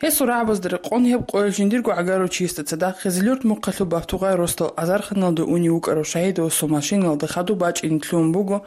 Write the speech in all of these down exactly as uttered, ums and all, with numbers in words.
Гьесул рагӀабазда рекъон гьеб къоялъ жиндирго гӀагарав чиясда цадахъ Хизилюрт мухъалъул Бабтугъай росдал азарханалда унев вукӀарав Шагьидовасул машиналда хадуб бачӀине лъугьун буго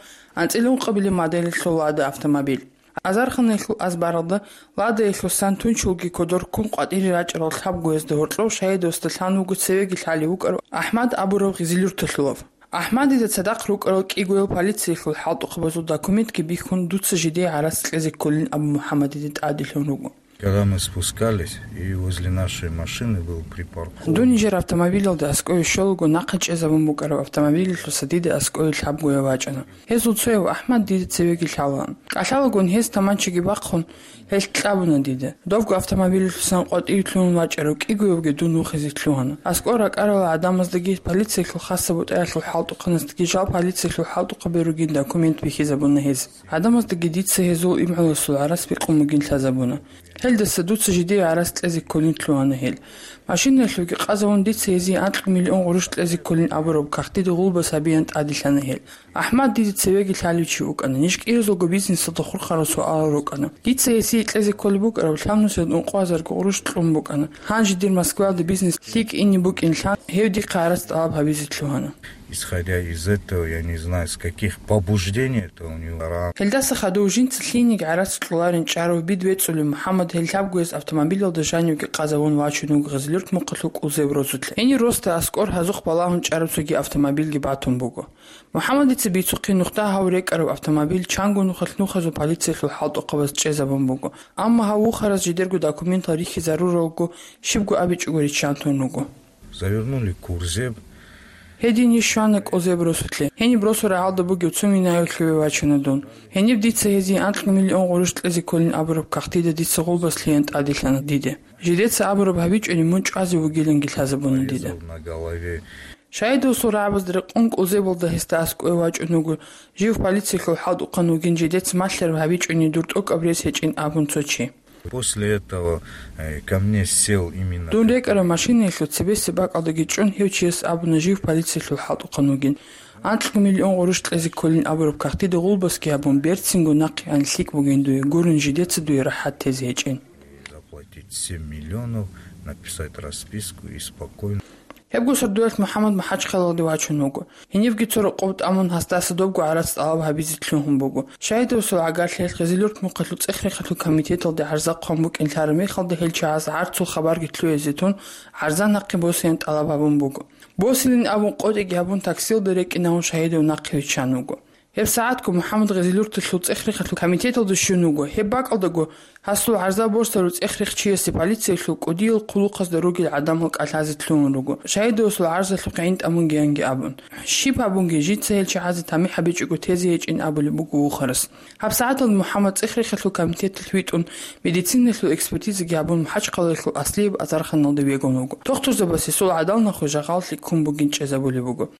анцӀила ункъабилеб моделалъул Лада автомобиль. Азарханаялъул азбаралда Ладаялъул сан тунчулги кодор ккун къватӀире рачӀарал лъабгоязда гьоркьов Шагьидовасда лъан вуго цевеги лъалев вукӀарав АхӀмад абурав хизилюрталъулав. АхӀмадида цадахъ рукӀарал кӀигоял полициялъул хӀалтӀухъабазул документги бихьун, дуца жидее гӀарац кьезе кколин абун МухӀаммадида тӀаделъун руго. Когда мы спускались, и возле нашей машины был припаркован. Дун нижер автомобилалда аскӀове щолаго нахъе чӀезабун букӀараб автомобилялъуса дида аскӀове лъабгояв вачӀана. Гьезул цояв АхӀмад дида цевеги лъалаан. КӀалъалагун гьез таманчаги бахъун, гьелъ кьабуна дида. Добго автомобилялъусан къватӀире лъугьун вачӀарав кӀигоявги дун вухизе лъугьана. АскӀор ракӀарал гӀадамаздаги, полициялъул хасаб бутӀаялъул хӀалтӀухъанасдаги жал полициялъул хӀалтӀухъабе ругин документ бихьизабуна гьез. ГӀадамаздаги дица гьезул имгӀуласул гӀарац бикъун бугин лъазабуна. Гьелдаса дуца жидее гӀарац кьезе кколин лъугьана гьел. Машинаялъувги къазавун дица гьезие анкьго миллион гъурущ кьезе кколин абураб кагътида гъулбас гьабеян тӀаделъана гьел. АхӀмад дида цевеги лъалев чи вукӀана, ниж кӀиразулго бизнесалда хурхарал суалал рукӀана. Дица гьесие кьезе кколеб букӀараб лъабнусиялда ункъо гьазарго гъурущ кьун букӀана. Гьанже дир Москваялда бизнес лъикӀ ине букӀин лъан, гьев дихъе гӀарац тӀалаб гьабизе лъугьана. Исходя из этого, я не знаю, с каких побуждений это у него ра- Гьелдаса хадув жинца лъиениги гӀарац кьоларин чӀарав бидбецӀулев МухӀаммад гьел лъабгояз автомобилалда жанивги къазавун вачун вуго Хизилюрт мухъалъул кӀулзеб росулъе. Гьенир росда аскӀор гьазухъ балагьун чӀараб цоги автомобилги батун буго. МухӀаммадица бицухъе нухда гьав рекӀараб автомобиль чанго нухалъ нухазул полициялъул хӀалтӀухъабаз чӀезабун буго. Амма гьав вухарас жидерго документал рихьизаруралго, щибго абичӀого риччан тун руго. Завернули кузов. Гьедин иш щвана кӀулзеб росулъе. Гьениб росу рагӀалда бугев цо минаялъуве вачана дун. Гьениб дица гьезие анкьго миллион гъурущ кьезе кколин абураб кагътида дица гъулбас лъеян тӀаделъана диде. Жидеца абураб гьабичӀони мун чӀвазе вугиланги лъазабуна дида. Порезал на голове. Шагьидовасул рагӀабазда рекъон кӀулзебалда гьесда аскӀове вачӀун вуго, жив полициялъул хӀалтӀухъан вугин, жидеца малъараб гьабичӀони дур тӀокӀаб рес гьечӀин абун цо чи. После этого, э, ко мне сел именно Дун рекӀараб машинаялъул цебесеб бакӀалдаги чӀун гьев чияс абуна жив полициялъул хӀалтӀухъан вугин. Анкьго миллион гъурущ кьезе кколин абураб кагътида гъулбасги гьабун, берцинго нахъе ан лъикӀ бугин дуе, гурин жидеца дуе рахӀат тезе гьечӀин. Заплатить семь миллионов, написать расписку и спокойно. Гьебго сордоялъ МухӀаммад МахӀачхъалалде вачун вуго. Гьенибги цо рокъоб тӀамун, гьасдаса добго гӀарац тӀалаб гьабизе лъугьун буго. Шагьидовасул гӀагарлъиялъ Хизилюрт мухъалъул цӀех-рехалъул комитеталде гӀарза хъван букӀин лъараб мехалда гьел чагӀаз гӀарцул хабарги лъугьизе тун, гӀарза нахъе босеян тӀалаб гьабун буго. Босилин абун, къотӀиги гьабун, таксилда рекӀинавун, Шагьидов нахъе виччан вуго. ГьебсагӀатго МухӀаммад Хизилюрталъул цӀех-рехалъул комитеталда щун вуго. Гьеб бакӀалдаго гьасул гӀарза босарав цӀех-рех чиясе полициялъул кӀудиял хъулухъазда ругел гӀадамал кӀалъазе лъугьун руго, Шагьидовасул гӀарзалъухъ гӀин тӀамунгеянги абун. Щиб гьабунги, жинца гьел чагӀазе тамихӀ гьабичӀого тезе гьечӀин абулеб буго вухарас. ГьабсагӀаталда МухӀаммад цӀех-рехалъул комитеталъ витӀун, медициналъул экспертизаги гьабун, МахӀачхъалаялъул Аслияб азарханалда вегун вуго. Дохтурзабасе сул гӀадал нахъе жагъал лъикӀ ккун бугин чӀезабулеб буго.